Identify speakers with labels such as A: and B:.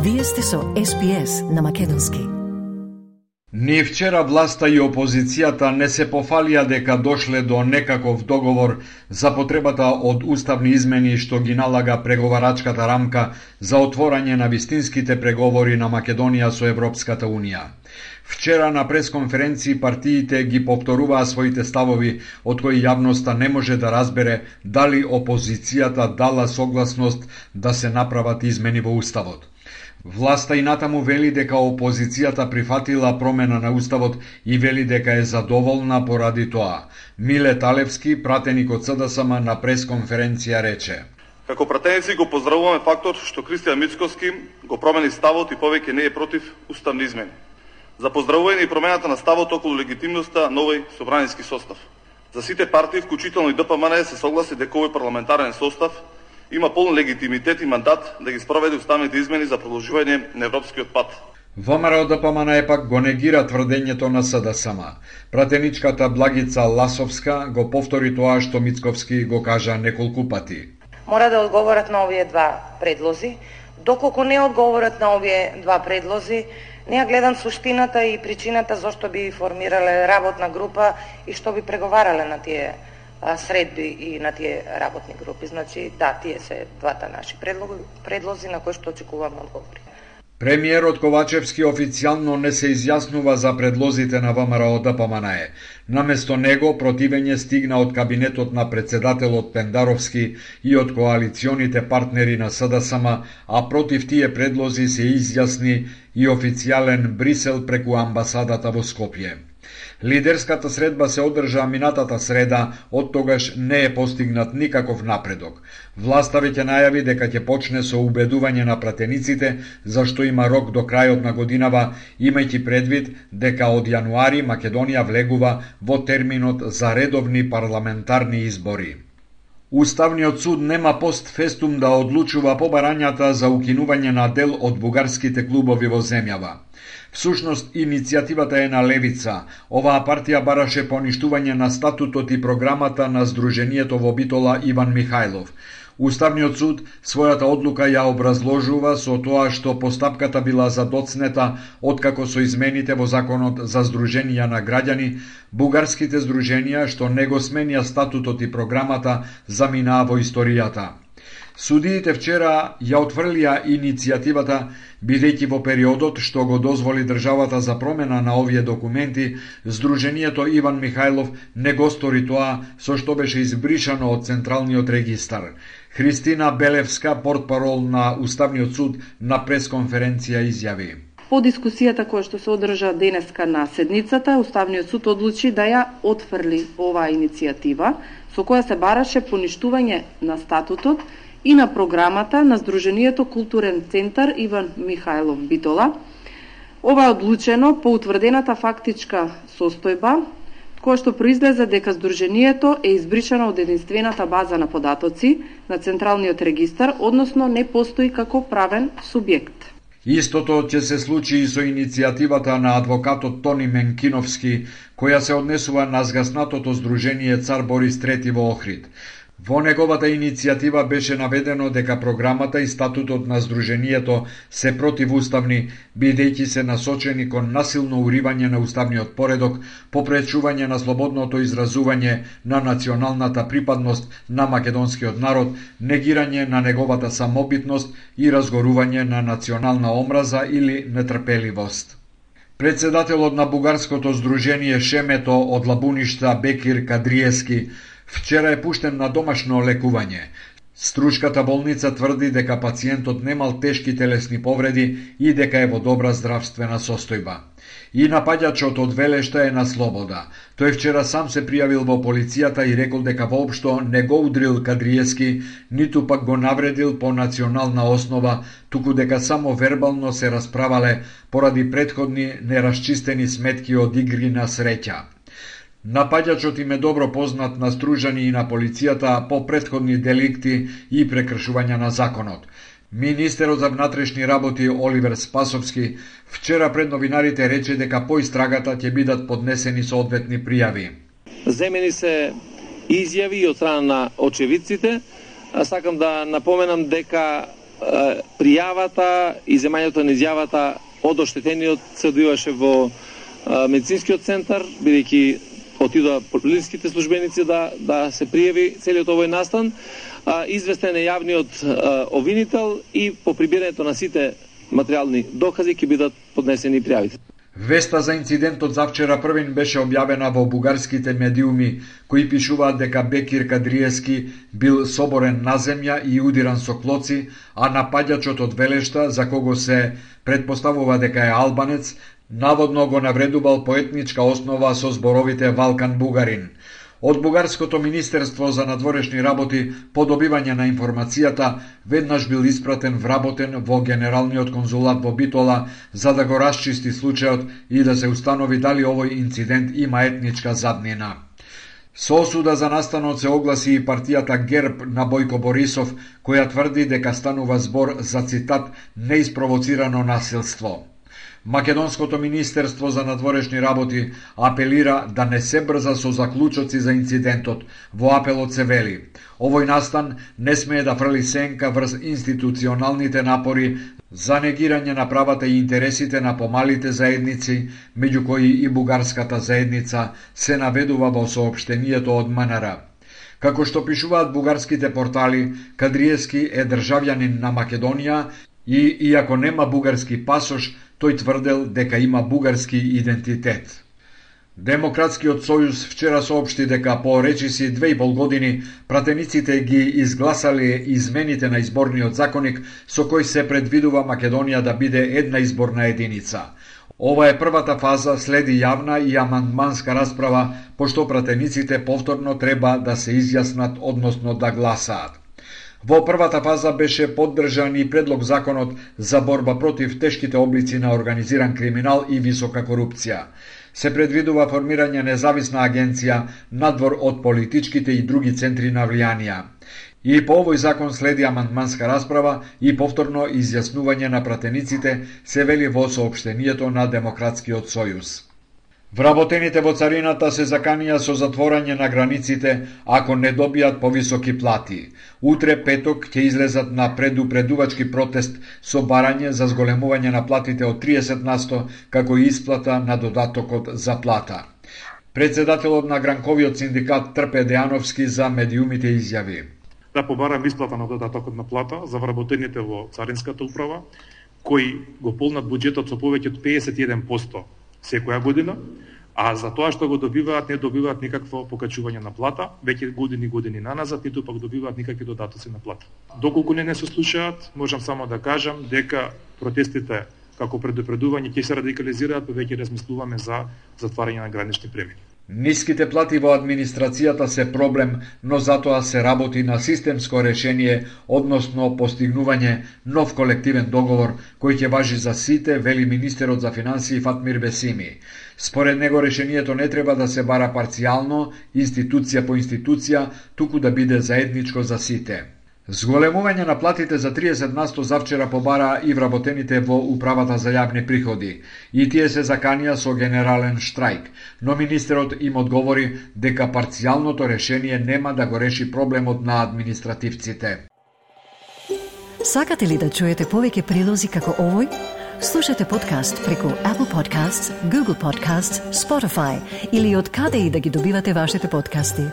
A: Вие сте со SPS на македонски.
B: Ни вчера власта и опозицијата не се пофалија дека дошле до некаков договор за потребата од уставни измени што ги налага преговарачката рамка за отворање на вистинските преговори на Македонија со Европската Унија. Вчера на пресконференција партиите ги повторуваа своите ставови, од кои јавноста не може да разбере дали опозицијата дала согласност да се направат измени во уставот. Власта и натаму вели дека опозицијата прифатила промена на уставот и вели дека е задоволна поради тоа. Миле Талевски, пратеник од СДСМ на пресконференција рече:
C: Како пратеници го поздравуваме фактот што Кристијан Мицковски го промени ставот и повеќе не е против уставни измени. За поздравување и промената на ставот околу легитимноста на овој собраниски состав. За сите партии, вклучително и ДПМН, се согласи дека овој парламентарен состав има полн легитимитет и мандат да ги спроведе уставните измени за продолжување на европскиот пат.
B: ВМРО ДПМН пак го негира тврдењето на СДСМ. Пратеничката Благица Ласовска го повтори тоа што Мицковски го кажа неколку пати.
D: Мора да одговорат на овие два предлози. Доколку не одговорат на овие два предлози, не ја гледам суштината и причината зашто би формирале работна група и што би преговарале на тие средби и на тие работни групи. Значи, да, тие се двата наши предлози на кои што очекуваме одговори.
B: Премиерот Ковачевски официјално не се изјаснува за предлозите на ВМРО ДПМН. Наместо него противење стигна од кабинетот на председателот Пендаровски и од коалиционите партнери на СДСМ, а против тие предлози се изјасни и официјален Брисел преку амбасадата во Скопје. Лидерската средба се одржа минатата среда, од тогаш не е постигнат никаков напредок. Власта веќе најави дека ќе почне со убедување на пратениците, зашто има рок до крајот на годинава, имајќи предвид дека од јануари Македонија влегува во терминот за редовни парламентарни избори. Уставниот суд нема постфестум да одлучува по барањата за укинување на дел од бугарските клубови во земјава. Всушност, иницијативата е на левица. Оваа партија бараше поништување на статутот и програмата на Сдруженијето во Битола Иван Михајлов. Уставниот суд својата одлука ја образложува со тоа што постапката била задоцнета откако со измените во законот за здруженија на граѓани, бугарските здруженија што не го сменија статутот и програмата заминаа во историјата. Судиите вчера ја отфрлија иницијативата, бидејќи во периодот што го дозволи државата за промена на овие документи, Сдруженијето Иван Михајлов не го стори тоа со што беше избришано од Централниот регистар. Христина Белевска, портпарол на Уставниот суд, на пресконференција изјави:
E: По дискусијата која што се одржа денеска на седницата, Уставниот суд одлучи да ја отфрли оваа иницијатива, со која се бараше поништување на статутот и на програмата на Сдруженијето Културен центар Иван Михајлов Битола. Ова е одлучено по утврдената фактичка состојба, која што произлезе дека Сдруженијето е избришано од единствената база на податоци на Централниот регистар, односно не постои како правен субјект.
B: Истото ќе се случи и со иницијативата на адвокатот Тони Менкиновски, која се однесува на згаснатото Сдружение Цар Борис III во Охрид. Во неговата иницијатива беше наведено дека програмата и статутот на Сдруженијето се противуставни, бидејќи се насочени кон насилно уривање на уставниот поредок, попречување на слободното изразување на националната припадност на македонскиот народ, негирање на неговата самобитност и разгорување на национална омраза или нетрпеливост. Председателот на бугарското здружение Шемето од Лабуништа Бекир Кадриевски вчера е пуштен на домашно лекување. Струшката болница тврди дека пациентот немал тешки телесни повреди и дека е во добра здравствена состојба. И напаѓачот од Велешта е на слобода. Тој вчера сам се пријавил во полицијата и рекол дека воопшто не го удрил Кадриевски, ниту пак го навредил по национална основа, туку дека само вербално се расправале поради претходни нерасчистени сметки од игри на среќа. Напаѓачот им е добро познат на стружани и на полицијата по претходни деликти и прекршувања на законот. Министерот за внатрешни работи Оливер Спасовски вчера пред новинарите рече дека по истрагата ќе бидат поднесени соодветни пријави.
F: Земени се изјави од страна на очевидците. Сакам да напоменам дека пријавата и земањето на изјавата од оштетениот се одвиваше во медицинскиот центар, бидејќи отидоа полициските службеници да се пријави целиот овој настан. Известен е јавниот обвинител и по прибирањето на сите материјални докази ќе бидат поднесени пријавите.
B: Веста за инцидентот завчера првин беше објавена во бугарските медиуми, кои пишуваат дека Бекир Кадриевски бил соборен на земја и удиран со клоци, а напаѓачот од Велешта, за кого се предпоставува дека е албанец, наводно го навредувал по етничка основа со зборовите Валкан бугарин. Од Бугарското министерство за надворешни работи по добивање на информацијата веднаш бил испратен вработен во Генералниот конзулат во Битола за да го расчисти случајот и да се установи дали овој инцидент има етничка заднина. Со осуда за настанот се огласи и партијата ГЕРБ на Бојко Борисов, која тврди дека станува збор за цитат неиспровоцирано насилство. Македонското министерство за надворешни работи апелира да не се брза со заклучоци за инцидентот. Во апелот се вели: овој настан не смее да фрли сенка врз институционалните напори за негирање на правата и интересите на помалите заедници, меѓу кои и бугарската заедница, се наведува во соопштението од МНР. Како што пишуваат бугарските портали, Кадриевски е државјанин на Македонија и, иако нема бугарски пасош, тој тврдел дека има бугарски идентитет. Демократскиот сојуз вчера соопшти дека по речиси 2,5 години пратениците ги изгласале измените на изборниот законник со кој се предвидува Македонија да биде една изборна единица. Ова е првата фаза, следи јавна и амандманска расправа, пошто пратениците повторно треба да се изјаснат, односно да гласаат. Во првата фаза беше поддржан и предлог законот за борба против тешките облици на организиран криминал и висока корупција. Се предвидува формирање независна агенција надвор од политичките и други центри на влијанија. И по овој закон следи амандманска расправа и повторно изјаснување на пратениците, се вели во соопштението на Демократскиот сојуз. Вработените во царината се заканија со затворање на границите ако не добијат повисоки плати. Утре петок ќе излезат на предупредувачки протест со барање за зголемување на платите од 30% како и исплата на додатокот за плата. Председателот на Гранковиот синдикат Трпе Дејановски за медиумите изјави:
G: да побарам исплата на додатокот на плата за вработените во царинската управа, кои го полнат буџетот со повеќе од 51% секоја година, а за тоа што го добиваат, не добиваат никакво покачување на плата, веќе години наназад, ниту пак добиваат никакви додатоци на плата. Доколку не се слушаат, можам само да кажам дека протестите како предупредување ќе се радикализираат, веќе размислуваме за затварање на гранични премини.
B: Ниските плати во администрацијата се проблем, но затоа се работи на системско решение, односно постигнување нов колективен договор кој ќе важи за сите, вели министерот за финансии Фатмир Бесими. Според него решението не треба да се бара парцијално, институција по институција, туку да биде заедничко за сите. Зголемување на платите за 30% завчера побара и вработените во Управата за јавни приходи, и тие се заканија со генерален штрајк, но министерот им одговори дека парцијалното решение нема да го реши проблемот на административците.
A: Сакате ли да чуете повеќе прилози како овој? Слушате подкаст преку Apple Podcasts, Google Podcasts, Spotify или од каде и да ги добивате вашите подкасти.